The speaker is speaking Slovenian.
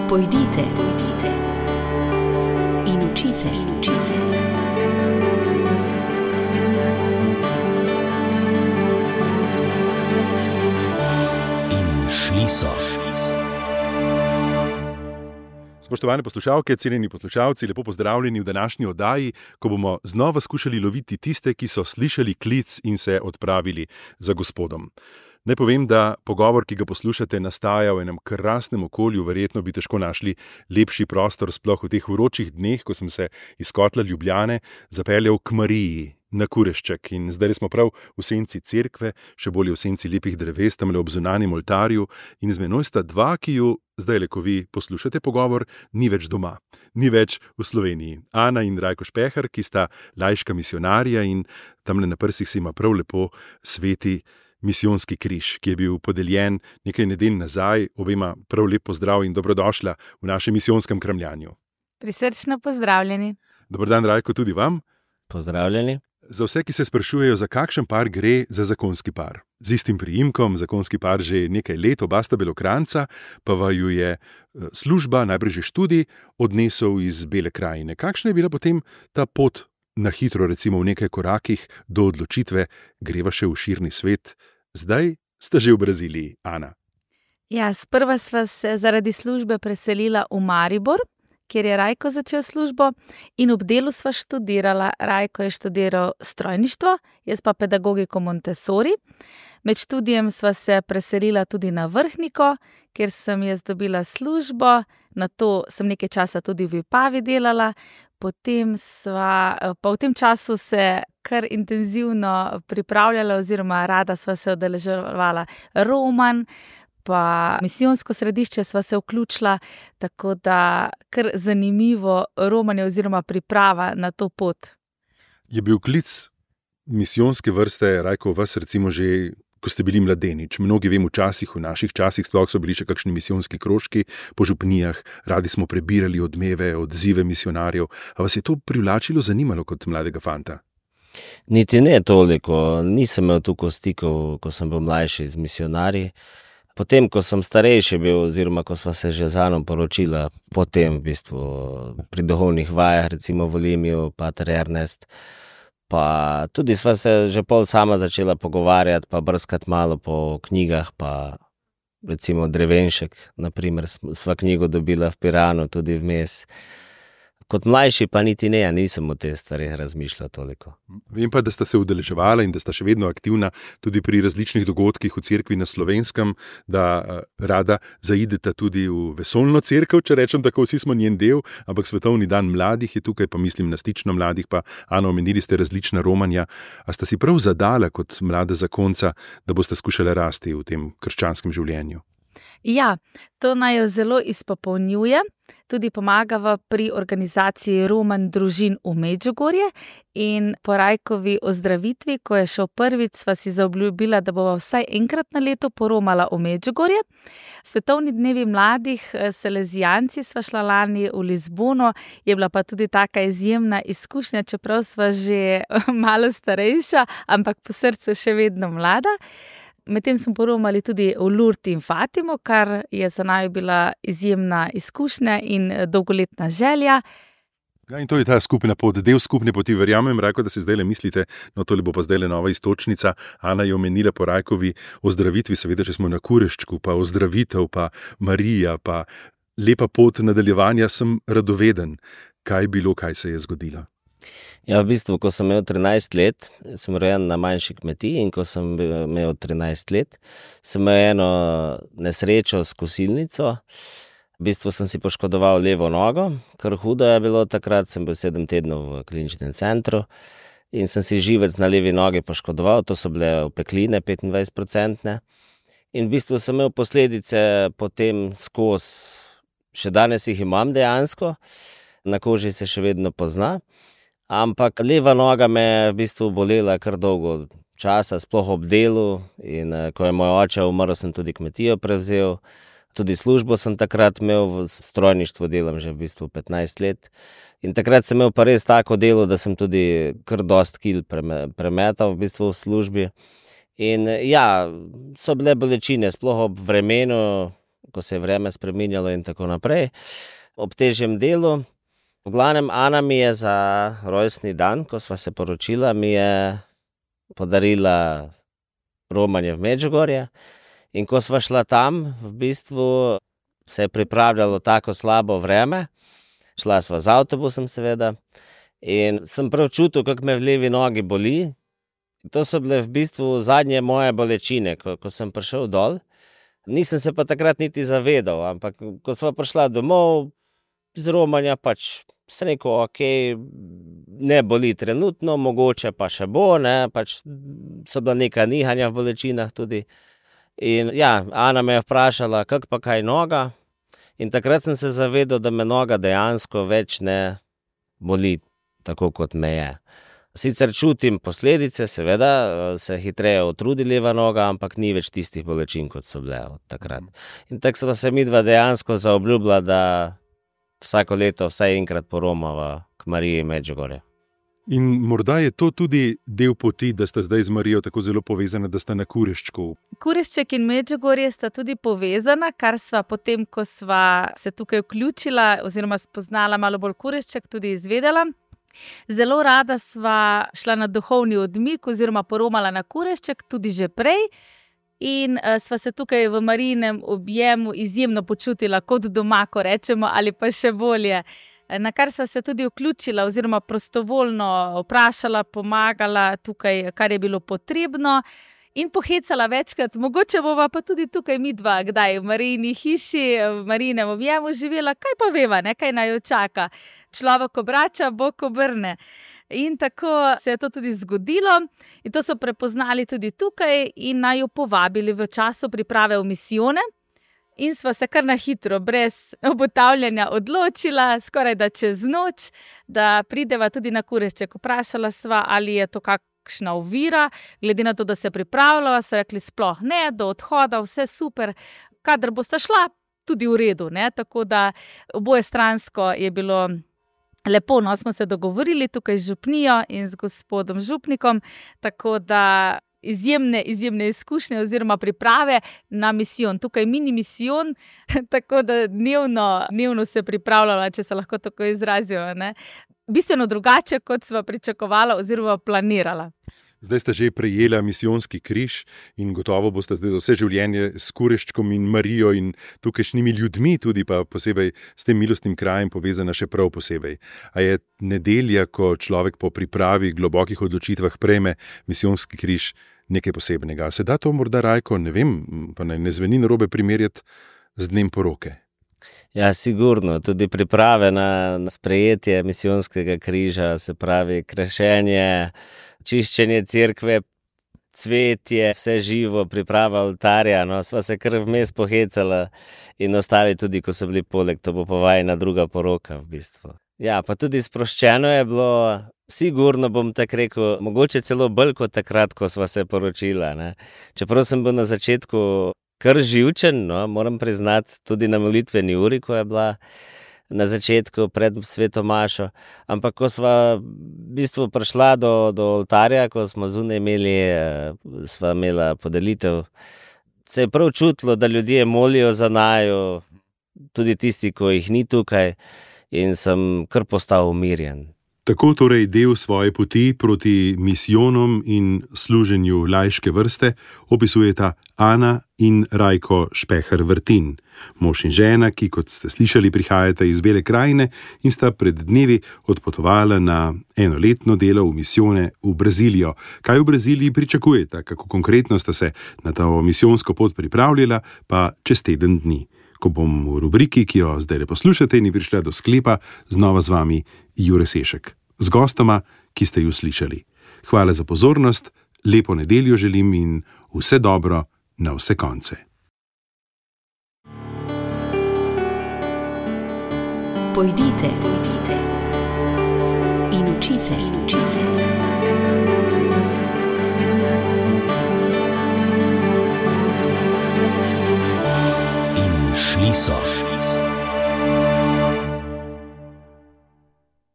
Pojdite in učite. In šli so. Spoštovane poslušalke, cenjeni poslušalci, lepo pozdravljeni v današnji oddaji, ko bomo znova skušali loviti tiste, ki so slišali klic in se odpravili za Gospodom. Naj povem, da pogovor, ki ga poslušate, nastaja v enem krasnem okolju, verjetno bi težko našli lepši prostor, sploh v teh vročih dneh, ko sem se iz kotla Ljubljane zapeljal k Mariji na Kurešček. In zdaj smo prav v senci cerkve, še bolje v senci lepih dreves, tamle ob zunanjem oltarju, in z menoj sta dva, ki ju zdaj, ko vi poslušate pogovor, ni več doma, ni več v Sloveniji. Ana in Rajko Špehar, ki sta laiška misionarja in tamle na prsih se ima prav lepo sveti misijonski križ, ki je bil podeljen nekaj nedelj nazaj. Obema prav lep pozdrav in dobrodošla v našem misijonskem kramljanju. Prisrčno pozdravljeni. Dober dan, Rajko, tudi vam. Pozdravljeni. Za vse, ki se sprašujejo, za kakšen par gre, za zakonski par. Z istim priimkom, zakonski par že nekaj let, oba sta Belokranjca, pa vaju je služba, najprej že študij, odnesel iz Bele krajine. Kakšna je bila potem ta pot na hitro, recimo v nekaj korakih, do odločitve, greva še v širni svet? Zdaj sta že v Braziliji, Ana. Ja, sprva sva se zaradi službe preselila v Maribor, kjer je Rajko začel službo, in ob delu sva študirala. Rajko je študiral strojništvo, jaz pa pedagogiko Montessori. Med študijem sva se preselila tudi na Vrhniko, kjer sem jaz dobila službo, nato sem nekaj časa tudi v Vipavi delala, potem pa v tem času se kar intenzivno pripravljala oziroma rada sva se udeleževala romanj, pa misijonsko središče sva se vključila, tako da kar zanimivo romanje oziroma priprava na to pot. Je bil klic misijonske vrste, Rajko, vas recimo že, ko ste bili mladenič? Mnogi vem, v naših časih sploh so bili še kakšni misijonski krožki po župnijah, radi smo prebirali odmeve, odzive misionarjev. A vas je to privlačilo, zanimalo kot mladega fanta? Niti ne toliko, nisem imel tukaj stikov, ko sem bil mlajši z misionarji. Potem, ko sem starejši bil, oziroma ko sva se že z Ano poročila, potem v bistvu pri duhovnih vajah, recimo v Olimiju, pater Ernest, pa tudi sva se že pol sama začela pogovarjati, pa brskati malo po knjigah, pa recimo Drevenšek, naprimer, sva knjigo dobila v Piranu, tudi vmes. Kot mlajši pa niti ne, nisem o te stvari razmišljal toliko. Vem pa, da sta se udeleževala in da sta še vedno aktivna tudi pri različnih dogodkih v cerkvi na Slovenskem, da rada zaideta tudi v vesoljno cerkev, če rečem tako, vsi smo njen del, ampak Svetovni dan mladih je tukaj, pa mislim na stično mladih, pa Ano, omenili ste različna romanja. A sta si prav zadala kot mlada zakonca, da boste skušali rasti v tem krščanskem življenju? Ja, to naj jo zelo izpopolnjuje, tudi pomagava pri organizaciji romanj družin v Medžugorje, in po Rajkovi ozdravitvi, ko je šel prvič, sva si zaobljubila, da bova vsaj enkrat na leto poromala v Medžugorje. Svetovni dnevi mladih Salezijanci sva šla lani v Lizbono, je bila pa tudi taka izjemna izkušnja, čeprav sva že malo starejša, ampak po srcu še vedno mlada. Medtem smo poromali tudi v Lourdes in Fatimo, kar je za naju bila izjemna izkušnja in dolgoletna želja. Ja, in to je ta skupna pot, del skupne poti. Verjamem, Rajko, da si zdaj mislite, no tole bo pa zdaj nova istočnica. Ana je omenila po Rajkovi ozdravitvi, seveda, če smo na Kureščku, pa ozdravitev, pa Marija, pa lepa pot nadaljevanja, sem radoveden. Kaj je bilo, kaj se je zgodilo? Ja, v bistvu, ko sem imel 13 let, sem rojen na manjši kmetiji, in ko sem imel 13 let, sem imel eno nesrečo s kosilnico. V bistvu sem si poškodoval levo nogo, kar hudo je bilo takrat, sem bil 7 tednov v kliničnem centru in sem si živec na levi nogi poškodoval, to so bile opekline 25%. In v bistvu sem imel posledice potem skozi, še danes jih imam dejansko, na koži se še vedno pozna. Ampak leva noga me je v bistvu bolela kar dolgo časa, sploh ob delu, in ko je moj oče umrl, sem tudi kmetijo prevzel. Tudi službo sem takrat imel, v strojništvu delam že v bistvu 15 let. In takrat sem imel pa res tako delo, da sem tudi kar dost kil premetal v bistvu v službi. In ja, so bile bolečine, sploh ob vremenu, ko se je vreme spreminjalo in tako naprej, ob težjem delu. V glavnem, Ana mi je za rojstni dan, ko sva se poročila, mi je podarila romanje v Medžugorje. In ko sva šla tam, v bistvu se je pripravljalo tako slabo vreme. Šla sva z avtobusom, seveda. In sem prav čutil, kako me v levi nogi boli. To so bile v bistvu zadnje moje bolečine, ko sem prišel dol. Nisem se pa takrat niti zavedal, ampak ko sva prišla domov z romanja, pač sem rekel, ok, ne boli trenutno, mogoče pa še bo, ne, pač so bila neka nihanja v bolečinah tudi. In ja, Ana me je vprašala, kako pa kaj noga. In takrat sem se zavedal, da me noga dejansko več ne boli tako, kot me je. Sicer čutim posledice, seveda, se hitreje utrudi leva noga, ampak ni več tistih bolečin, kot so bile od takrat. In tako sva se midva dejansko zaobljubila, da vsako leto vsaj enkrat poromava k Mariji Medžugorje. In morda je to tudi del poti, da sta zdaj z Marijo tako zelo povezana, da sta na Kureščku. Kurešček in Medžugorje sta tudi povezana, kar sva potem, ko sva se tukaj vključila oziroma spoznala malo bolj Kurešček, tudi izvedela. Zelo rada sva šla na duhovni odmik oziroma poromala na Kurešček, tudi že prej. In sva se tukaj v Marijinem objemu izjemno počutila kot doma, ko rečemo, ali pa še bolje. Na kar sva se tudi vključila oziroma prostovoljno vprašala, pomagala tukaj, kar je bilo potrebno. In pohecala večkrat, mogoče bova pa tudi tukaj midva, kdaj v Marijini hiši, v Marijinem objemu živela, kaj pa veva, ne, kaj naj jo čaka. Človek obrača, Bog obrne. In tako se je to tudi zgodilo in to so prepoznali tudi tukaj in naj jo povabili v času priprave v misijone. In sva se kar na hitro, brez obotavljanja odločila, skoraj da čez noč, da prideva tudi na Kurešček. Vprašala sva, ali je to kakšna ovira, glede na to, da se pripravljava, so rekli sploh ne, do odhoda, vse super, kadar bosta šla, tudi v redu, ne, tako da oboje stransko je bilo lepo, no, smo se dogovorili tukaj z župnijo in z gospodom župnikom, tako da izjemne izkušnje oziroma priprave na misijon. Tukaj mini misijon, tako da dnevno se pripravljala, če se lahko tako izrazijo, ne. Bistveno drugače, kot sva pričakovala oziroma planirala. Zdaj sta že prejela misijonski križ in gotovo boste zdaj za vse življenje s Kureščkom in Marijo in tukajšnjimi ljudmi, tudi pa posebej s tem milostnim krajem povezana še prav posebej. A je nedelja, ko človek po pripravi globokih odločitvah prejme misijonski križ, nekaj posebnega? Se da to morda, Rajko, ne vem, pa ne zveni narobe primerjati z dnem poroke? Ja, sigurno. Tudi priprave na sprejetje misijonskega križa, se pravi krešenje, čiščenje cerkve, cvetje, vse živo, priprava oltarja, no, sva se kar vmes pohecala in ostali tudi, ko so bili poleg, to bo pa vajina druga poroka v bistvu. Ja, pa tudi sproščeno je bilo, sigurno bom tako rekel, mogoče celo bolj kot takrat, ko sva se poročila, ne. Čeprav sem bil na začetku kar živčen, no, moram priznati, tudi na molitveni uri, ko je bila na začetku pred sveto mašo, ampak ko sva v bistvu prišla do oltarja, ko smo zunaj sva imela podelitev, se je prav čutilo, da ljudje molijo za naju, tudi tisti, ko jih ni tukaj, in sem kar postal umirjen. Tako torej del svoje poti proti misijonom in služenju laiške vrste opisujeta Ana in Rajko Špeher Vrtin, mož in žena, ki, kot ste slišali, prihajata iz Bele krajine in sta pred dnevi odpotovala na enoletno delo v misijone v Brazilijo. Kaj v Braziliji pričakujeta, kako konkretno sta se na to misijonsko pot pripravljala, pa čez teden dni. Ko bom v rubriki, ki jo zdaj poslušate, ni prišla do sklepa, znova z vami Jure Sešek, z gostoma, ki ste ju slišali. Hvala za pozornost, lepo nedeljo želim in vse dobro na vse konce. Pojdite in učite.